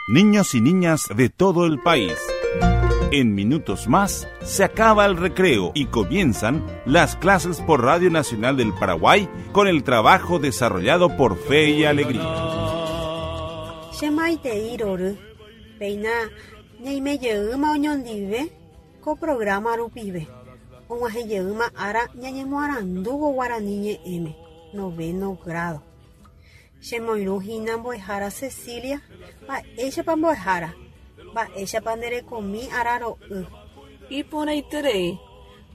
Niños y niñas de todo el país. En minutos más se acaba el recreo y comienzan las clases por Radio Nacional del Paraguay con el trabajo desarrollado por Fe y Alegría. Che maitei rory, péina ñaime jeýma oñondive ko programa rupive. Og̃uahẽ jeýma ára ñañemoarandúvo guarani ñe'ẽme, noveno grado. Chemoirũ hína mbo'ehára Cecilia, Mba'éichapa mbo'ehára? Mba'éichapa nde rekomi araro'y? Iporãiterei,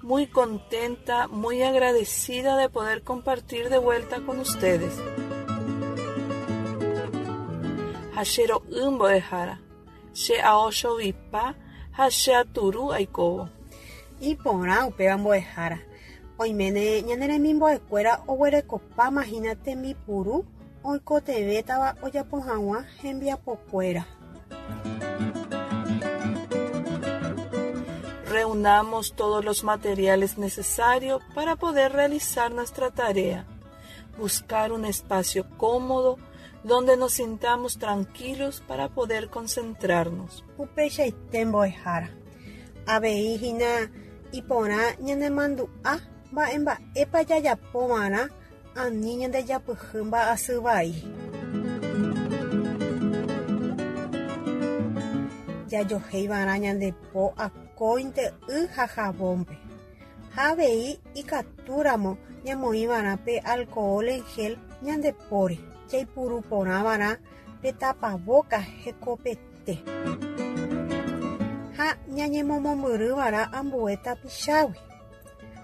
muy contenta, muy agradecida de poder compartir de vuelta con ustedes. Ha che ro'y mbo'ehára, che ao chovipa ha che aturu aikóvo. Iporã upéva mbo'ehára. Oiméne ñane remimbo'ekuéra oguerekopáma hína tembipuru oikotevẽtava ojapo hag̃ua hembiapokuéra. Reunamos todos los materiales necesarios para poder realizar nuestra tarea. Buscar un espacio cómodo donde nos sintamos tranquilos para poder concentrarnos. Upeichaite mbo'ehára. Avei hína iporã ñanemandu'a mba'emba'épa jajapova'erã ani ñandejapyhy mba'asy vai. Jajohéiva'erã ñande po akóinte y ha jabón-pe. Ha avei ikatúramo ñamoĩva'erã pe alcohol en gel ñande póre, jaipuru porãva'erã pe tapavóka hekopete. Ha ñañemomombyryva'erã ambue tapichágui.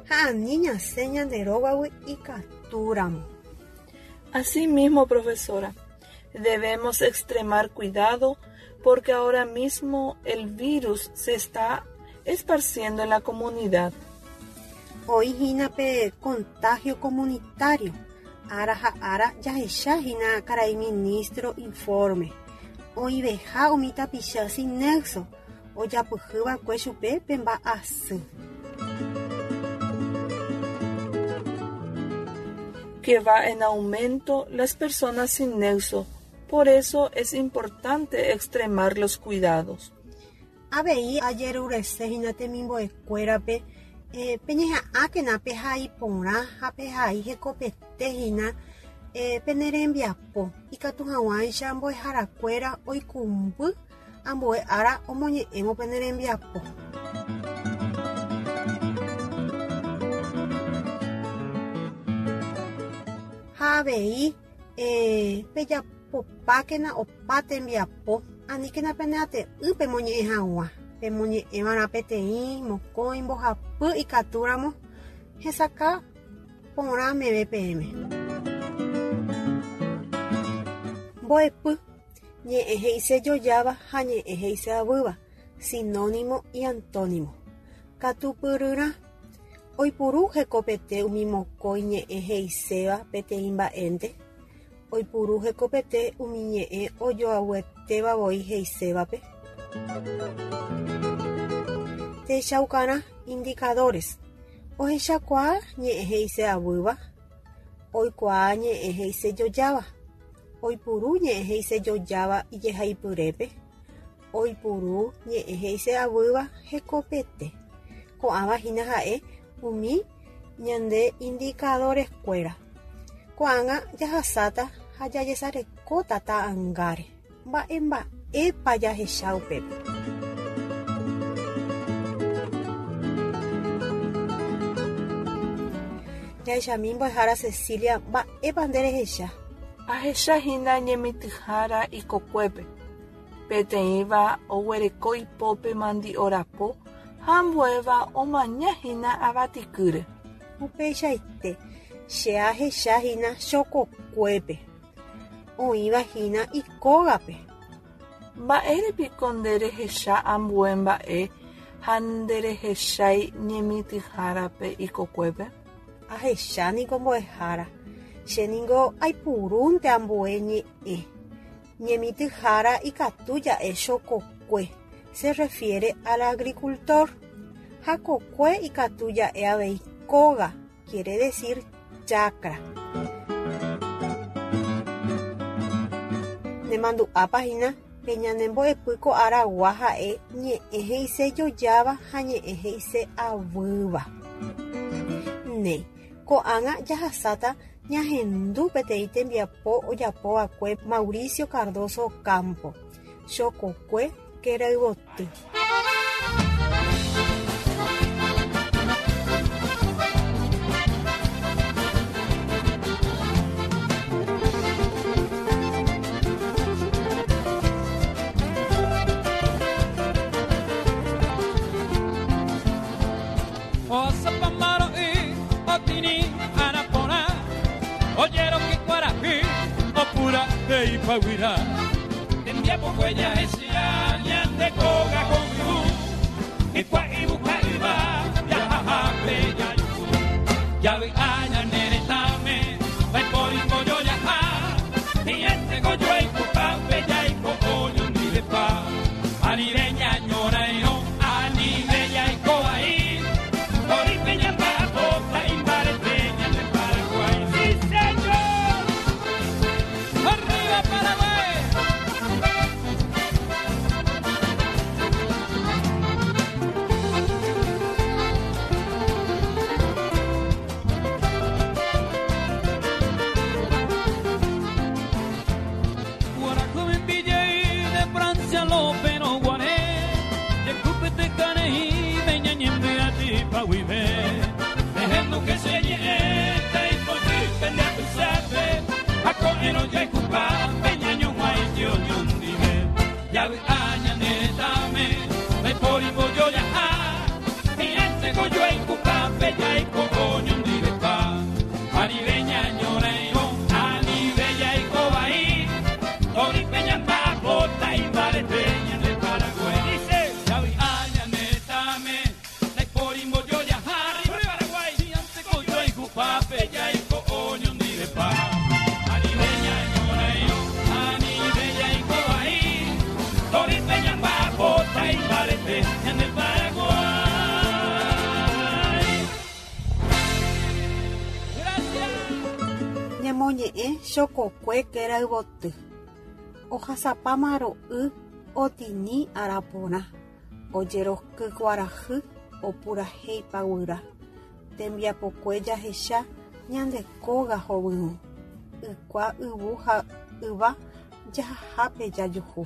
Ha ani ñasẽ ñande rógagui ikatúramo. Así mismo, profesora, debemos extremar cuidado porque ahora mismo el virus se está esparciendo en la comunidad. Oĩ hína pe contagio comunitario, ára ha ára jahecha hína karai ministro informe, oĩveha umi tapicha sin nexo ojapyhy va'ekue chupe pe mba'asy. Que va en aumento las personas sin nexo, por eso es importante extremar los cuidados. Avei ajerurese hína temimbo'ekuérape peñeha'ãkena pehai porã ha pehai hekopete hína pene rembiapo, ikatu hag̃uáicha mbo'eharakuéra oikũmby ambue ára omoñe'ẽvo pene rembiapo. Ha avei pejapopákena opa tembiapo, aníkena peneate'ỹ pemoñe'ẽ hag̃ua, pemoñe'ẽva'erã peteĩ, mokõi, mbohapy ikatúramo hesakã porã meve peẽme. Mbo'epy, ñe'ẽ he'isejojáva ha ñe'ẽ he'iseavýva, sinónimo y antónimo. Katupyryrã, oipuru hekopete umi mokõi ñe'ẽ he'iséva peteĩ mba'énte, oipuru hekopete umi ñe'ẽ ojoavyetéva voi he'isévape. Techaukarã, indicadores, ohechakuaa ñe'ẽ he'iseavýva, oikuaa ñe'ẽ he'isejojáva, oipuru ñe'ẽ he'isejojáva ijehaipyrépe, oipuru ñe'ẽ he'iseavýva hekopete. Ko'ãva hína ha'e umi ñande indicadores-kuéra. Ko'ág̃a jahasáta ha jajesarekóta ta'angáre. Mba'emba'épa jahecha upépe? Jahechami mbo'ehára Cecilia mba'épa nde rehecha. Ahecha hína ñemitỹhára ikokuépe. Peteĩva oguereko ipópe mandi'o rapo ha ambuéva omaña hína avatikýre. Upeichaite, che ahecha hína chokokuépe, oĩva hína ikógape. Mba'ére piko nde rehecha ambue mba'e ha nderehechái ñemitỹhárape ikokuépe? Ahecha niko mbo'ehára, che ningo aipurúnte ambue ñe'ẽ. Ñemitỹhára ikatu ja'e chokokue, se refiere al agricultor, ha kokue ikatu ja'e avei kóga, quiere decir chacra. Nemandu'ápa hína? Pe ñane mbo'epy ko aragua ha'e ñe'ẽ he'ise jojáva ha ñe'ẽ he'ise avýva. Néi, ko'ág̃a jahasáta ñahendu peteĩ tembiapo ojapo va'ekue Mauricio Cardozo Ocampo, chokokue kerayvoty. Ñamoñe'ẽ chokokue kerayvoty. Ohasapáma ro'y otini araporã, ojeroky kuarahy opurahéipa guyra. Tembiapokue jahecha ñande kóga hovyũ, ykua yvu ha yva jahahápe jajuhu.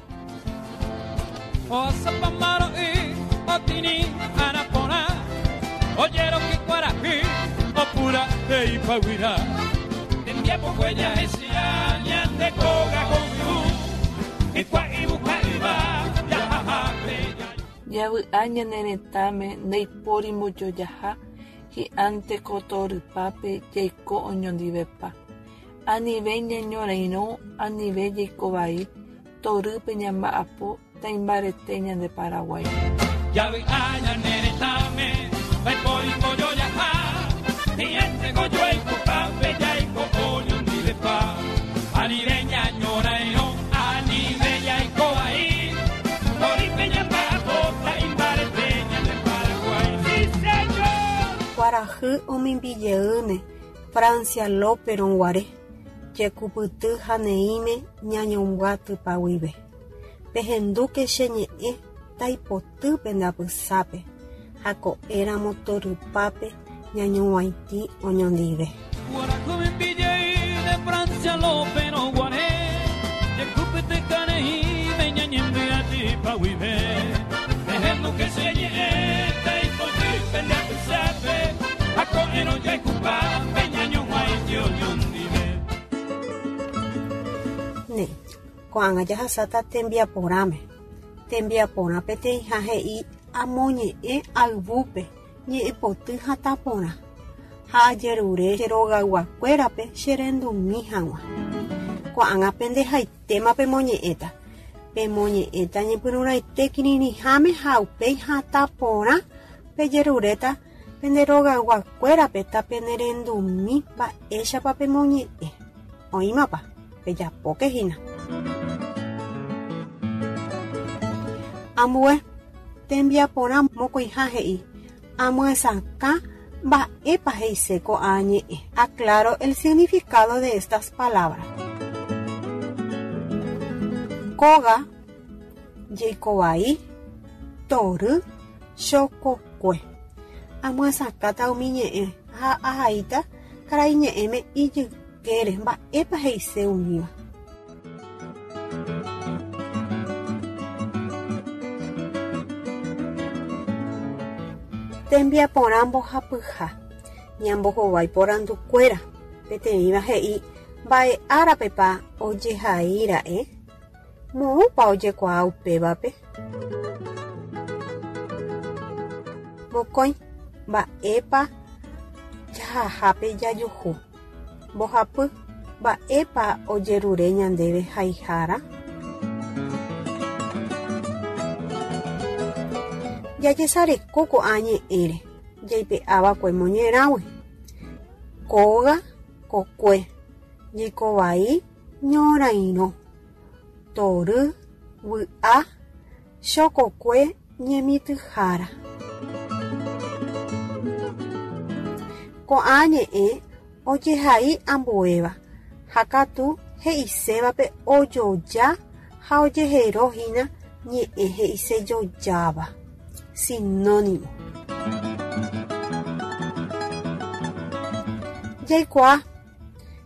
Ohasapáma ro'y otini araporã, ojeroky kuarahy opurahéipa guyra. Tembiapokue jahecha ñande kóga hovyũ, ykua yvu ha yva jahahápe jajuhu. Javy'a ñane retãme ndaipóri mbojojaha hi'ánte ko torypápe jaiko oñondivepa. Anive ñañorairõ, anive jaiko vai, torýpe ñamba'apo taimbarete ñande Paraguái. Javy'a ñane retãme ndaipóri mbojojaha hi'ánte ko joaikuhápe jaiko oñondivepa. Anive ñañorairõ, anive jaiko vai, torýpe ñamba'apo taimbarete ñande Paraguái. ¡Sí, señor! Kuarahy omimbijeýne Francia López-rõ guare, jekupyty ha neĩme ñañombyatypa guive. Pehendúke che ñe'ẽ taipoty pende apysápe ha ko'ẽramo torypápe ñañoguaitĩ oñondive. Kuarahy omimbijey de Francia López-rõ guare, jekupyty ha neĩme ñañembyatypa guive. Pehendúke che ñe'ẽ taipoty pende apysápe ha ko'ẽrõ jaikupaápe ñañoguaitĩ oñondive. Néi, ko'ág̃a jahasáta tembiaporãme. Tembiaporã peteĩha he'i amoñe'ẽ ayvúpe ñe'ẽpoty hatã porã ha ajerure che rogayguakuérape che rendumi hag̃ua. Ko'ág̃a pendehaitéma pemoñe'ẽta. Pemoñe'ẽta ñepyrũrãite kirirĩháme ha upéi hatã porã pejeruréta pende rogayguakuérape tapenerendumi mba'éichapa pemoñe'ẽ. Oĩmapa? Pejapóke hína. Ambue tembiaporã mokõiha he'i, Amyesakã mba'épa he'ise ko'ã ñe'ẽ. Aclaro el significado de estas palabras. Kóga. Jeikovai, tory, chokokue. Amyasakãta umi ñe'ẽ ha ahaíta karaiñe'ẽme ijykére mba'épa he'ise umíva. Tembiaporã mbohapyha. Ñambohovái porandukuéra. Peteĩva he'i mba'e árapepa ojehaíra'e. Moõpa ojekuaa upévape? Mokõi, mba'épa jahahápe jajuhu. Mbohapy, mba'épa ojerure ñandéve haihára? Jajesareko ko'ã ñe'ẽre jaipe'ava'ekue moñerãgui. Kóga, kokue, jeikovai, ñorairõ, tory, vy'a, chokokue ñemitỹhára. Ko'ã ñe'ẽ ojehai ambuéva ha katu he'isévape ojoja ha ojehero hína ñe'ẽ he'isejojáva, sinónimo. Jaikuaa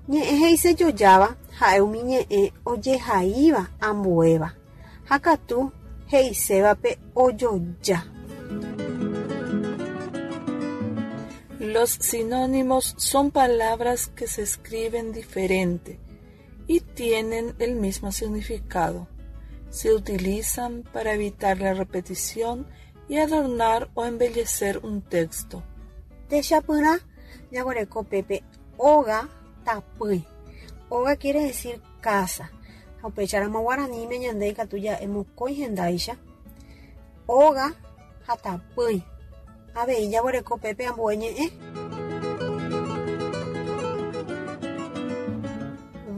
Ñe'ẽ he'isejojáva ha'e umi ñe'ẽ ojehaíva ambuéva, ha katu he'isévape ojoja. Los sinónimos son palabras que se escriben diferente y tienen el mismo significado. Se utilizan para evitar la repetición y adornar o embellecer un texto. Techapyrã jaguereko pépe óga tapỹi. Óga quiere decir casa. Ha upéicharamo guaraníme ñande ikatu ja'e mokõi hendáicha, óga ha tapỹi. Avei jaguereko pépe ambue ñe'ẽ.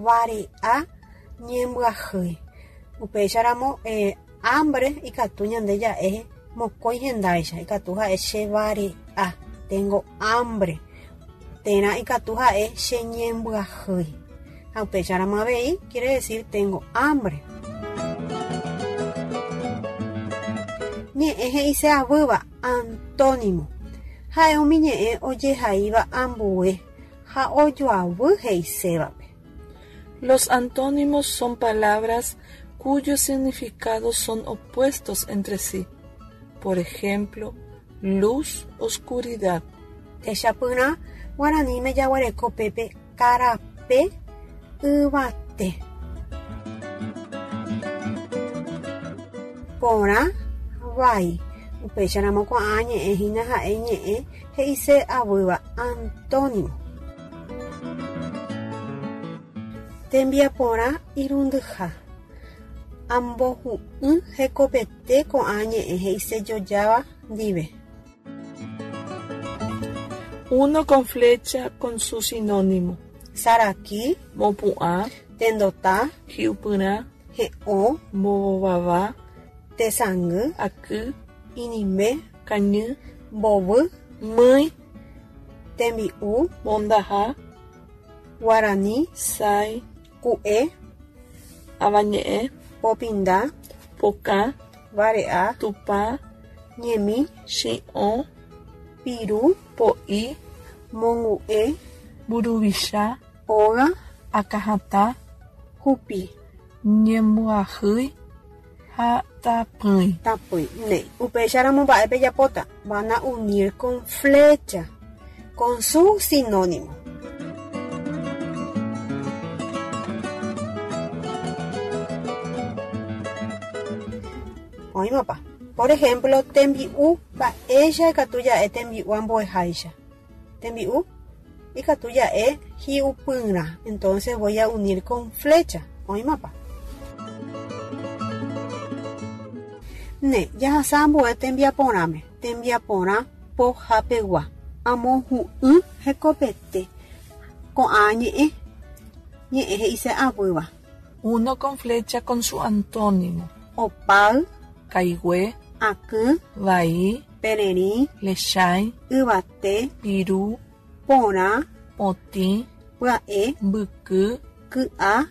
Vare'a ñembyahýi. Upéicharamo hambre ikatu ñande ja'e mokõi hendáicha, ikatu ha'e che vare'a, tengo hambre, térã ikatu ha'e che ñembyahýi. Ha upéicharamo avei quiere decir tengo hambre. Ñe'ẽ he'ise avýva, antónimo. Ha'e umi ñe'ẽ ojehaíva ambue ha ojoavy he'isévape. Los antónimos son palabras cuyos significados son opuestos entre sí. Por ejemplo, luz, oscuridad. Techapyrã guaraníme jaguereko pépe karape yvate. Porã, vai. Upéicharamo ko'ã ñe'ẽ hína ha'e ñe'ẽ he'ise avýva, antónimo. Tembiaporã irundyha. Ambohu'ỹ hekopete ko'ã ñe'ẽ he'isejojáva ndive. Uno con flecha con su sinónimo. Saraki, Mopu'ã, tendota, hi'upyrã, he'õ, mbovava, tesangy, aky, inimbe, kañy, mbovy, mýi, tembi'u, mondaha, guarani, sái, ku'e, avañe'ẽ, popinda, pokã, vare'a, tupã, ñemi, chi'õ, piru, po'i, mongu'e, mburuvicha, óga, akãhatã, hupi. Ñembyahýi ha tapỹi. Tapỹi. Néi. Upéicharamo mba'e pejapóta? Van a unir con flecha, con su sinónimo. Oĩmapa? Por ejemplo, tembi'u mba'éicha ikatu ja'e tembi'u ambueháicha. Tembi'u ikatu ja'e hi'upyrã. Entonces voy a unir con flecha. Oĩmapa? Ne, jahasa ambue tembiaporãme. Tembiaporã pohapegua. Amohu'ỹ hekopete. Ko'ã ñe'ẽ. Ñe'ẽ he'ise avýva. Uno con flecha con su antónimo. Opáy. Kaigue. Akỹ. Vai. Pererĩ. Lechãi. Yvate. Piru. Porã. Potĩ. Pya'e. Mbyky. Ky'a.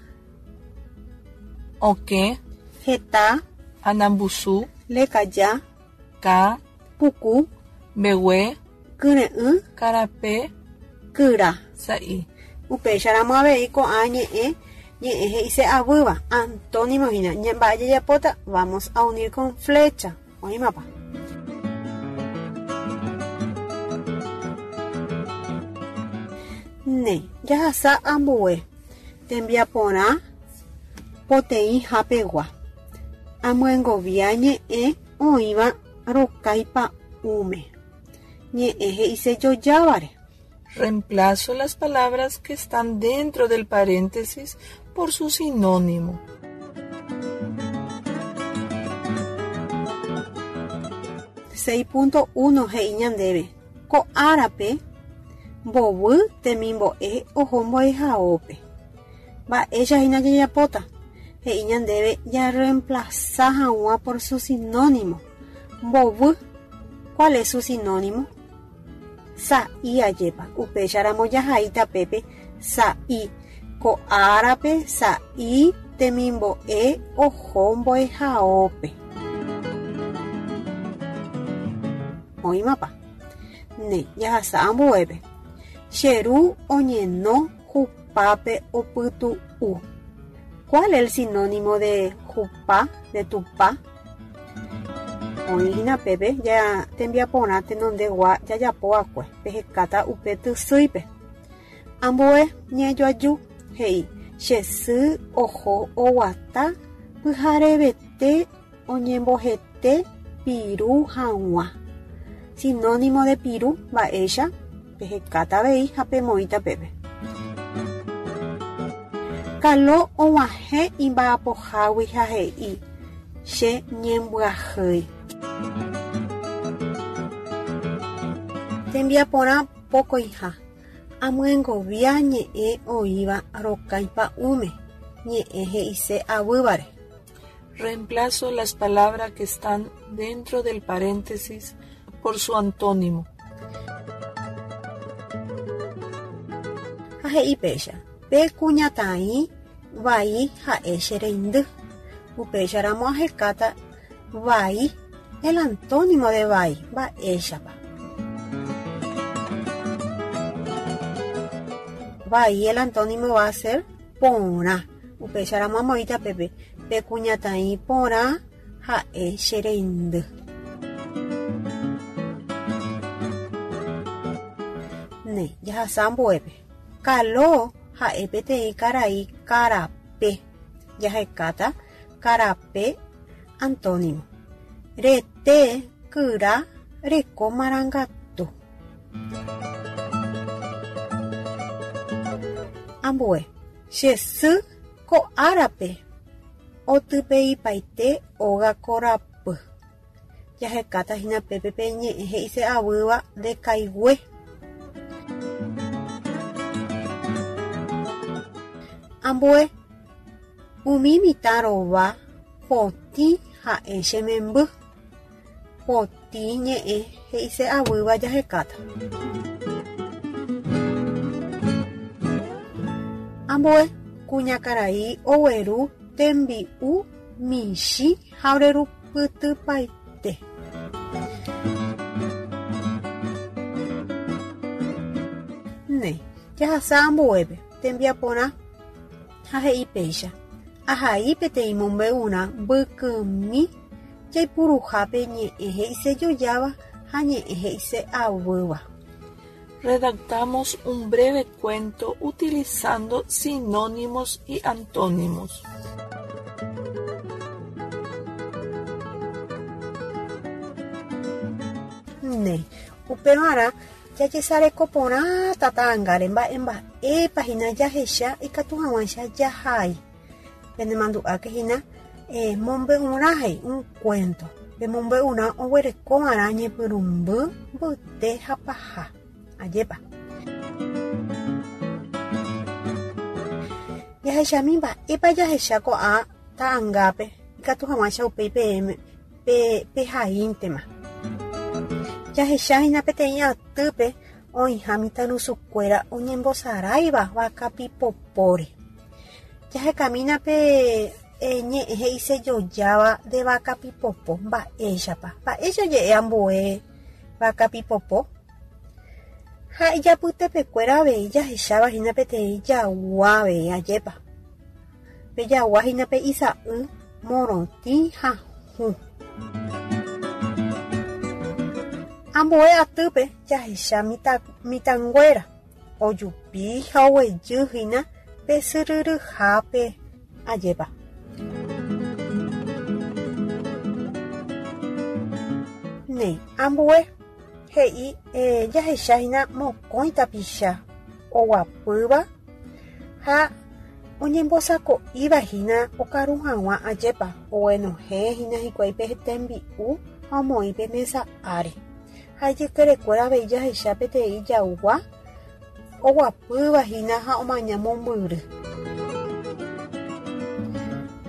Okẽ. Heta. Anambusu. Lekaja. Ka. Puku. Mbegue. Kyre'ỹ. Karape. Kyra. Sa'i. Upéicharamo avei ko'ã ñe'ẽ, ñe'ẽ he'ise avýva, antónimo hína. Mba'e jajapóta? Vamos a unir con flecha. Oĩmapa? Ne, jahasa ambue tembiaporã poteĩha pegua. Amyengovia ñe'ẽ oĩva rokái pa'ũme. Ñe'ẽ he'ise jojávare. Reemplazo las palabras que están dentro del paréntesis por su sinónimo. 6.1 he'i ñandéve, Ko árape mbovy temimbo'e oho mbo'ehaópe. Mba'éicha hína jajapóta? He'i ñandéve jarreemplaza hag̃ua por su sinónimo. Mbovy, cuál es su sinónimo? Sa'i ajépa, upéicharamo jahai tapépe sa'i, ko árape sa'i temimbo'e oho mbo'ehaópe. Oĩmapa? Ne, jahasa ambuépe. Che ru oñeno hupápe opytu'u. Cuál el sinónimo de hupa, de tupa? Oĩ hína pépe ja tembiaporã tenondegua jajapo va'ekue, pehekáta upe tysýipe. Ambue ñe'ẽjoaju he'i, Che sy oho oguata pyharevete oñembohete piru hag̃ua. Sinónimo de piru, mba'éicha? Pehekáta avei ha pemoĩta pépe. Kalo og̃uahẽ imba'apohágui ha he'i, Che ñembyahýi. Tembiaporã pokõiha, amyengovia ñe'ẽ oĩva rokái pa'ũme, ñe'ẽ he'ise avývare. Reemplazo las palabras que están dentro del paréntesis por su antónimo. Ha he'i péicha, Pe kuñataĩ vai ha'e che reindy. Upéicharamo ahekáta vai, el antónimo de vai, mba'éichapa. Vai, el antónimo va a ser porã. Upéicharamo amoĩta pépe, Pe kuñataĩ porã ha'e che reindy. Ne, jahasa ambuépe. Kalo ha'e peteĩ karai karape. Jahekáta karape antónimo. Rete kyra reko marangatu. Ambue, che sy ko árape otypeipaite óga korapy. Jahekáta hína pépe pe ñe'ẽ he'ise avýva nde kaigue. Ambue, umi mitã rova potĩ ha'e che memby. Potĩ ñe'ẽ he'ise avýva jahekáta. Ambue, kuñakarai ogueru tembi'u michĩ ha orerupytypaite. Néi, jahasa ambuépe, tembiaporã ha he'i péicha, Ahai peteĩ mombe'urã mbykymi Jaipuruhápe ñe'ẽ he'isejojáva ha ñe'ẽ he'ise avýva. Redactamos un breve cuento utilizando sinónimos y antónimos. Néi, upevarã jajesareko porãta ta'angáre mba'e mba'épa hína jahecha ikatu hag̃uáicha jahai. Penemandu'áke hína mombe'urã he'i un cuento. Pe mombe'urã oguerekova'erã ñepyrũmby, mbyte ha paha. Ajépa. Jahechami mba'épa jahecha ko'ã ta'angápe ikatu hag̃uáicha upéi peẽme pe pehaíntema. Jahecha hína peteĩ atýpe oĩha mitãrusukuéra oñembosaráiva vaka pipopóre. Jahekamína pe. ñe'ẽ he'isejojáva de vakapipopo. Mba'éichapa? Mba'éicha oje'e ambue vakapipopo? Ha ijapytepekuéra avei jahecháva hína peteĩ jagua avei, ajépa? Pe jagua hína pe isa'y morotĩ ha hũ. Ambue atýpe jahecha mitãnguéra ojupi ha oguejy hína pe syryryhápe, ajépa. Néi, ambue he'i jahecha hína mokõi tapicha oguapýva ha oñembosako'íva hína okaru hag̃ua ajépa oguenohẽ hína hikuái pe tembi'u ha omoĩ pe mesa ári. Ha ijykerekuéra avei jahecha peteĩ jagua oguapýva hína ha omaña mombyry.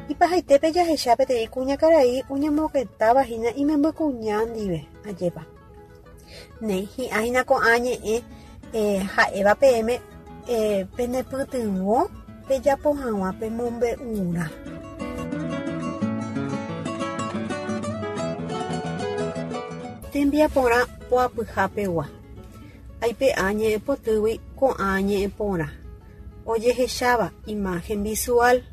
Ipahaitépe jahecha peteĩ kuñakarai oñemoketáva hína imemby kuña ndive, ajépa. Néi, hi'ã hína ko'ã ñe'ẽ ha'éva peẽme penepytyvõ pejapo hag̃ua pemombe'urã. Tembiaporã poapyha pegua. Aipe'a ñe'ẽpotýgui ko'ã ñe'ẽporã ojehecháva imagen visual,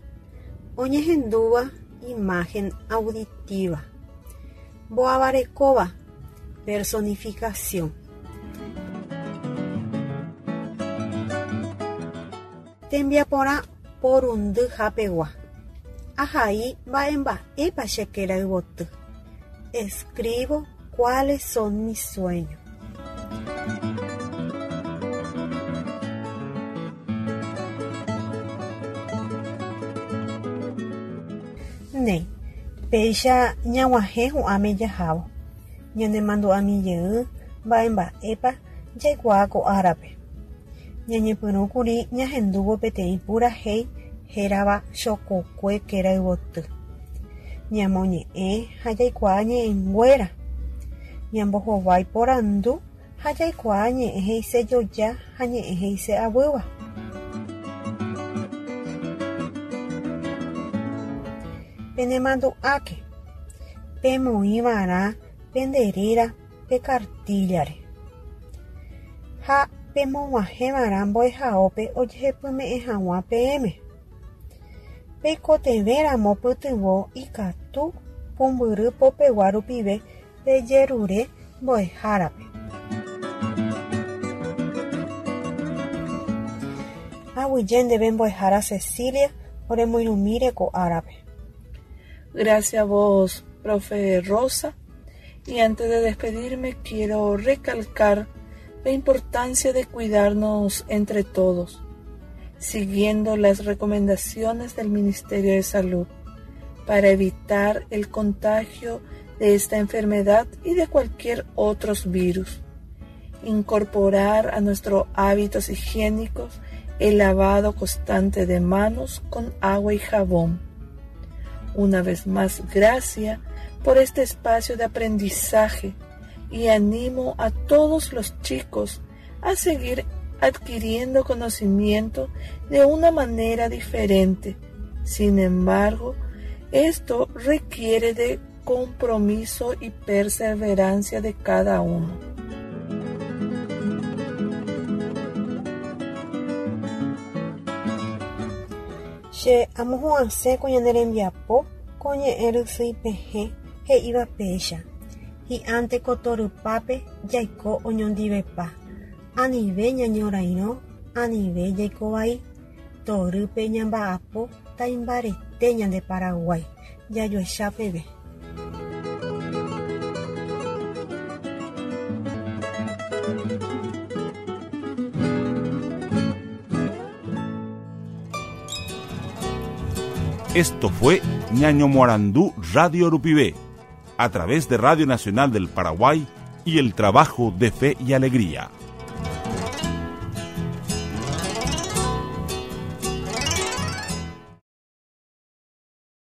oñehendúva imagen auditiva. Mboavarekóva, personificación. Tembiaporã porundyha pegua. Ahai mba'emba'épa che kerayvoty. Escribo cuáles son mis sueños. Néi, péicha ñag̃uahẽ hu'ãme jahávo, ñanemandu'ami jey mba'emba'épa jaikuaa ko árape. Ñañepyrũkuri ñahendúvo peteĩ purahéi hérava Chokokue kerayvoty. Ñamoñe'ẽ ha jaikuaa ñe'ẽnguéra. Ñambohovái porandu ha jaikuaa ñe'ẽ he'isejoja ha ñe'ẽ he'ise'avýva. Penemandu'áke, pemoĩva'erã pende réra pe kartíllare ha pemog̃uahẽva'erã mbo'ehaópe ojehepyme'ẽ hag̃ua peẽme. Peikotevẽramo pytyvõ ikatu pumbyry popegua rupive Pejerure mbo'ehárape. Aguyje ndéve mbo'ehára Cecilia oremoirũmíre ko árape. Gracias a vos, profe Rosa. Y antes de despedirme, quiero recalcar la importancia de cuidarnos entre todos, siguiendo las recomendaciones del Ministerio de Salud para evitar el contagio de esta enfermedad y de cualquier otro virus. Incorporar a nuestros hábitos higiénicos el lavado constante de manos con agua y jabón. Una vez más, gracias por este espacio de aprendizaje y animo a todos los chicos a seguir adquiriendo conocimiento de una manera diferente. Sin embargo, esto requiere de compromiso y perseverancia de cada uno. Che amohu'ãse ko ñane rembiapo ko ñe'ẽ rysyipehẽ he'íva péicha, Hi'ãnte ko torypápe jaiko oñondivepa, anive ñañorairõ, anive jaiko vai, torýpe ñamba'apo taimbarete ñande Paraguái, jajuecha peve. Esto fue Ñaño Morandú Radio Rupivé, a través de Radio Nacional del Paraguay y el trabajo de Fe y Alegría.